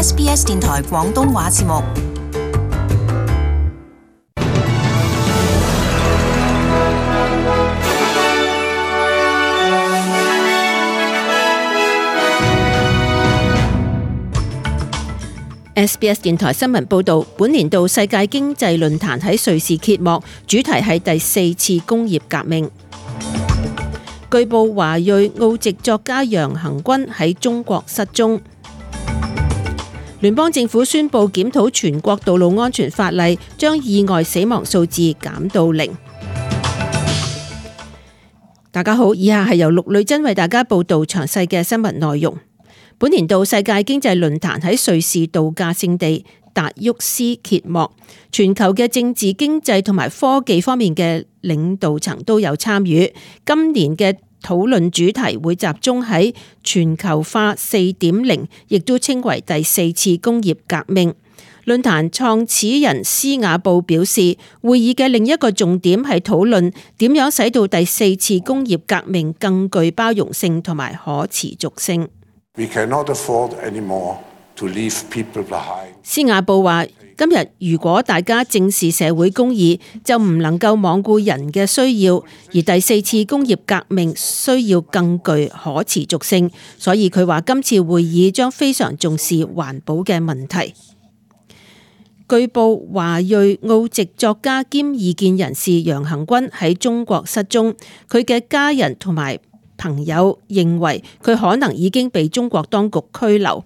SBS 電台廣東話節目。SBS 電台新聞報導，本年度世界經濟論壇喺瑞士揭幕，主題係第4次工業革命。據報華裔澳籍作家楊恆均喺中國失蹤。聯邦政府宣布檢討全國道路安全法例，將意外死亡數字減到0。大家好，以下係由陸女珍為大家報導詳細嘅新聞內容。本年度世界經濟論壇喺瑞士度假勝地達沃斯揭幕，全球嘅政治、經濟同埋科技方面嘅領導層都有參與。今年嘅討論主題會集中喺全球化 4.0， 亦都稱為第4次工業革命。論壇創始人施瓦布表示，會議嘅另一個重點係討論點樣使到第4次工業革命更具包容性同埋可持續性。We cannot afford anymore to leave people behind. 施瓦布話：今日如果大家正視社會公義，就唔能夠罔顧人嘅需要，而第4次工業革命需要更具可持續性。所以佢話今次會議將非常重視環保嘅問題。據報華裔澳籍作家兼異見人士楊恆均喺中國失蹤，佢嘅家人同埋朋友認為佢可能已經被中國當局拘留。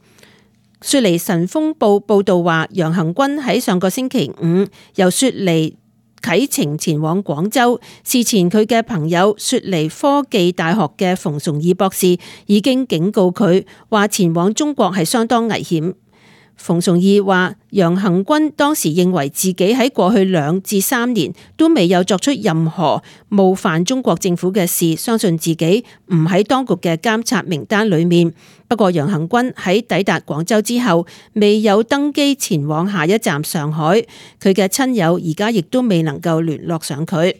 雪梨晨鋒報報道話，楊恆均喺上個星期五由雪梨啟程前往廣州。事前佢嘅朋友雪梨科技大學嘅馮崇義博士已經警告佢，話前往中國係相當危險。馮崇義話，楊恆均當時認為自己喺過去2至3年都未有作出任何冒犯中國政府嘅事，相信自己唔喺當局嘅監察名單裏面。不過楊恆均喺抵達廣州之後，未有登機前往下一站上海，佢嘅親友而家亦都未能夠聯絡上佢。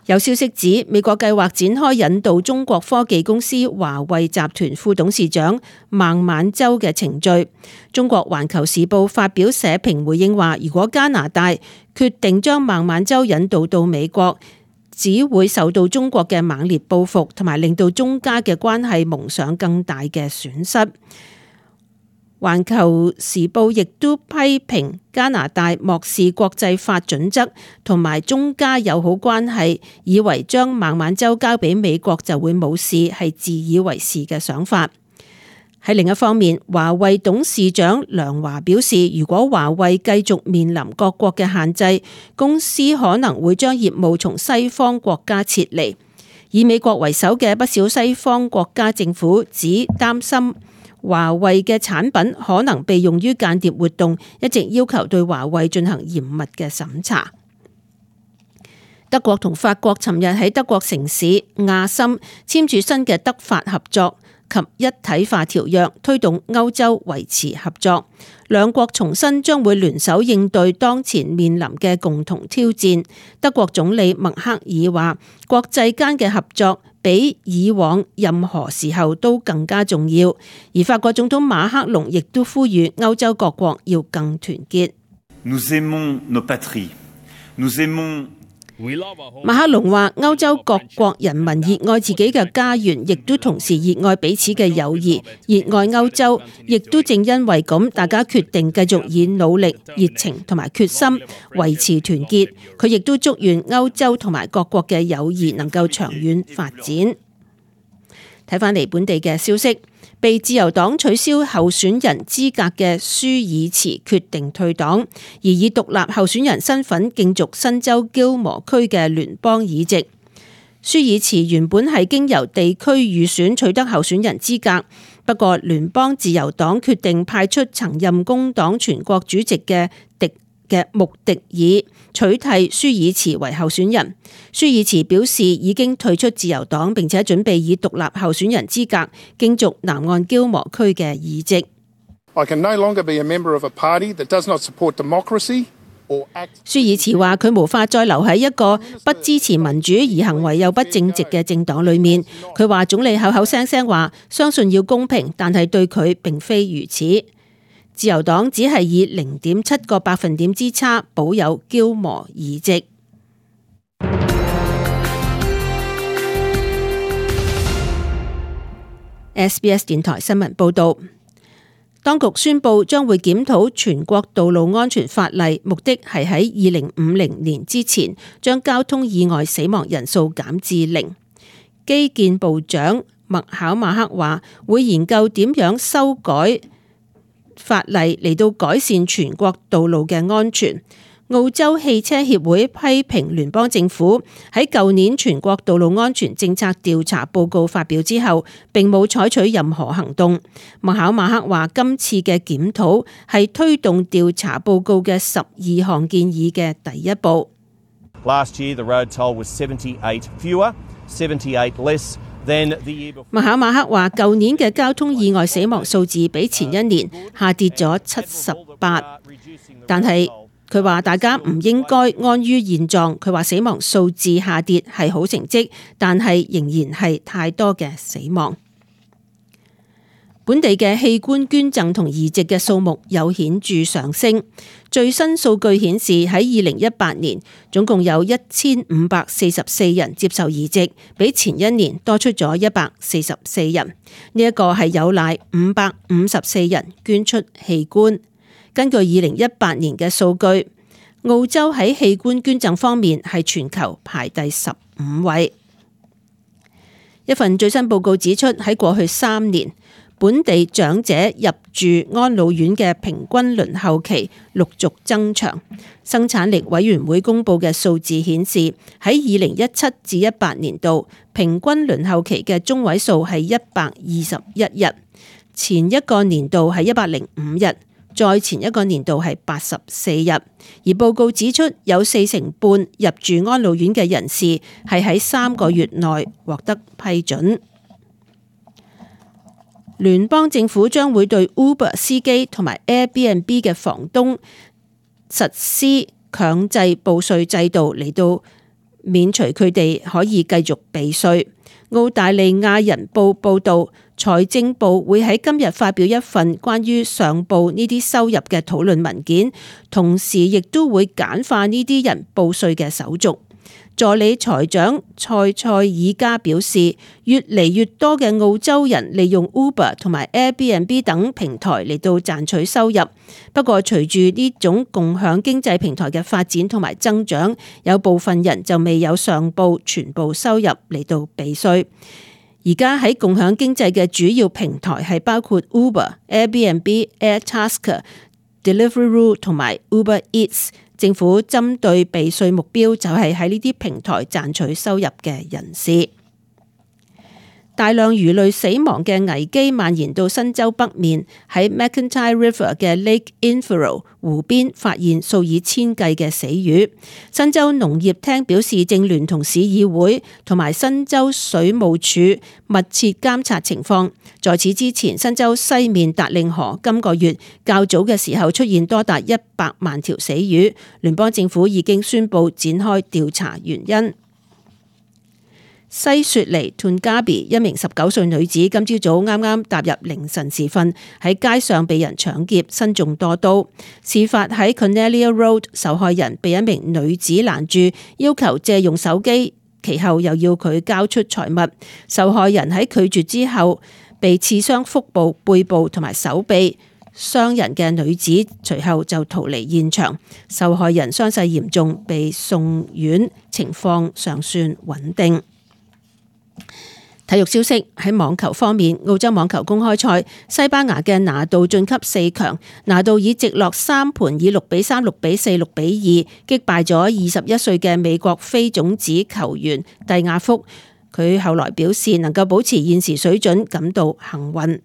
有消息指，美國計劃展開引渡中國科技公司華為集團副董事長孟晚舟嘅程序。中國環球時報發表社評回應話，如果加拿大決定將孟晚舟引渡到美國，只會受到中國嘅猛烈報復，同埋令到中加嘅關係蒙上更大嘅損失。環球時報亦都批評加拿大漠視國際法準則同埋中加友好關係，以為將孟晚舟交俾美國就會冇事，係自以為是嘅想法。喺另一方面，華為董事長梁華表示，如果華為繼續面臨各國嘅限制，公司可能會將業務從西方國家撤離。以美國為首嘅不少西方國家政府只擔心華為嘅產品可能被用於間諜活動，一直要求對華為進行嚴密嘅審查。德國同法國尋日喺德國城市亞森簽署新嘅德法合作及一體化條約，推動歐洲維持合作。兩國重申將會聯手應對當前面臨嘅共同挑戰。德國總理默克爾話，國際間嘅合作比以往任何時候都更加重要，而法國總統馬克龍亦都呼籲歐洲各國要更團結。馬克龍話，歐洲各國人民熱愛自己嘅家園，亦都同時熱愛彼此嘅友誼，熱愛歐洲，亦都正因為咁，大家決定繼續以努力、熱情同埋決心維持團結。佢亦都祝願歐洲同埋各國嘅友誼能夠長遠發展。睇返嚟本地嘅消息，被自由黨取消候選人資格嘅舒爾茨決定退黨，而以獨立候選人身份競逐新州基摩區嘅聯邦議席。舒爾茨原本係經由地區預選取得候選人資格，不過聯邦自由黨決定派出曾任工黨全國主席嘅穆迪爾取替舒爾茨為候選人。舒爾茨表示已經退出自由黨，並且準備以獨立候選人資格競逐南岸基摩區嘅議席。I can no longer be a member of a party that does not support democracy, 舒爾茨話佢無法再留喺一個不支持民主而行為又不正直嘅政黨裏面。佢話總理口口聲聲話相信要公平，但係對佢並非如此。自由黨只係以0.7個百分點之差保有嬌磨議席。SBS 電台新聞報導。當局宣布將會檢討全國道路安全法例，目的係喺2050年之前將交通意外死亡人數減至0。基建部長麥考馬克話會研究點樣修改法例嚟到改善全國道路嘅安全。澳洲汽車協會批評聯邦政府喺舊年全國道路安全政策調查報告發表之後，並冇採取任何行動。麥考馬克話今次嘅檢討係推動調查報告嘅12項建議嘅第一步。Last year the road toll was 78 fewer, 78 less than the year before. 麥考馬克話舊年嘅交通意外死亡數字比前一年下跌咗78%，但係佢話大家唔應該安於現狀。佢話死亡數字下跌係好成績，但係仍然係太多嘅死亡。本地嘅器官捐贈同移植嘅數目有顯著上升。最新數據顯示喺2018年總共有1544人接受移植，比前一年多出咗144人。呢一個係有賴554人捐出器官。根據2018年嘅數據，澳洲喺器官捐贈方面係全球排第15位。一份最新報告指出，喺過去3年，本地長者入住安老院嘅平均輪候期陸續增長。生產力委員會公佈嘅數字顯示，喺2017至18年度，平均輪候期嘅中位數係121日，前一個年度係105日。再前一個年度係84日，而報告指出有45%入住安老院嘅人士係喺3個月內獲得批准。聯邦政府將會對 Uber 司機同埋 Airbnb 嘅房東實施強制報稅制度嚟到免除佢哋可以繼續避稅。澳大利亞人報報導，財政部會喺今日發表一份關於上報呢啲收入嘅討論文件，同時亦都會簡化呢啲人報稅嘅手續。助理財長塞爾加表示，越嚟越多嘅澳洲人利用 Uber 同埋 Airbnb 等平台嚟到賺取收入。不過隨住呢種共享經濟平台嘅發展同埋增長，有部分人就未有上報全部收入嚟到避稅。而家喺共享經濟嘅主要平台係包括 Uber、Airbnb、Airtasker、Deliveroo 同埋 Uber Eats。政府針對避稅目標就係喺呢啲平台賺取收入嘅人士。大量魚類死亡嘅危機蔓延到新州北面，喺 McIntyre River 嘅 Lake Inverell 湖邊發現數以千計嘅死魚。新州農業廳表示，正聯同市議會同埋新州水務署密切監察情況。在此之前，新州西面達令河今個月較早嘅時候出現多達100萬條死魚，聯邦政府已經宣布展開調查原因。西雪梨 Toongabbie 一名19歲女子今朝早啱啱踏入凌晨時分喺街上被人搶劫，身中多刀。事發喺 Cornelia Road， 受害人被一名女子攔住，要求借用手機，其後又要佢交出財物。受害人喺拒絕之後被刺傷腹部、背部同埋手臂。傷人嘅女子隨後就逃離現場，受害人傷勢嚴重，被送院，情況尚算穩定。體育消息，喺網球方面，澳洲網球公開賽，西班牙嘅拿度晉級4強，拿度以直落3盤以6-3、6-4、6-2擊敗咗21歲嘅美國非種子球員蒂亞福。佢後來表示能夠保持現時水準感到幸運。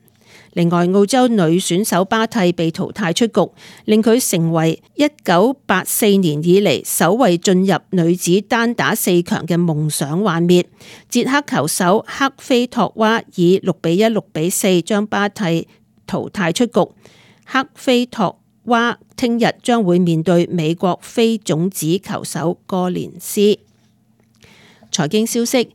另外，澳洲女選手巴蒂被淘汰出局，令佢成為1984年以嚟首位進入女子單打4強嘅夢想幻滅。捷克球手克菲托娃以6-1、6-4將巴蒂淘汰出局。克菲托娃聽日將會面對美國非種子球手哥連斯。財經消息。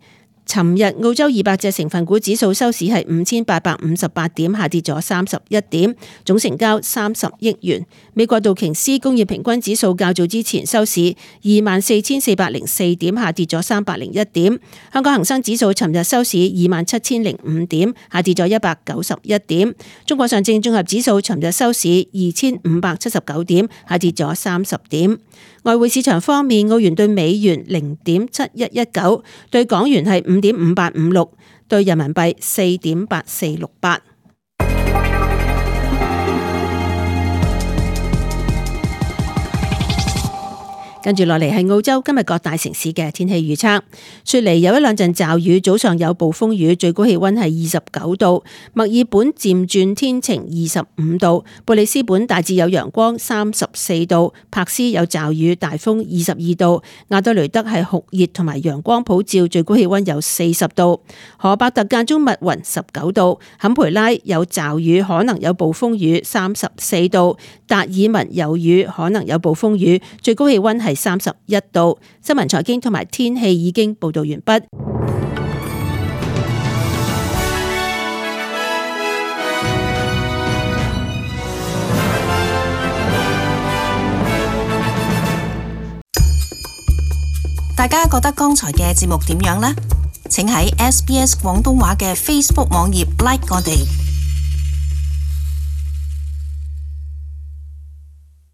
尋日澳洲200隻成分股指數收市係5858點，下跌咗31點，總成交30億元。美國道瓊斯工業平均指數較早之前收市24,404點，下跌咗301點。香港恒生指數尋日收市27,005點，下跌咗191點。中國上證綜合指數尋日收市2,579點，下跌咗30點。外匯市場方面，澳元對美元0.7119，對港元係5.5856，對人民幣4.8468。跟住落嚟係澳洲今日各大城市嘅天氣預測。雪梨有一兩陣驟雨，早上有暴風雨，最高氣溫係29度。墨爾本漸轉天晴25度。布里斯本大致有陽光34度。柏斯有驟雨大風22度。亞德雷德係酷熱同埋陽光普照，最高氣溫有40度。荷伯特間中密雲19度。坎培拉有驟雨可能有暴風雨34度。達爾文有雨可能有暴風雨，最高氣溫係31度。新聞財經同埋天氣已經報道完畢。大家覺得剛才嘅節目點樣呢？請喺SBS 廣東話嘅 Facebook 網頁 like 我哋。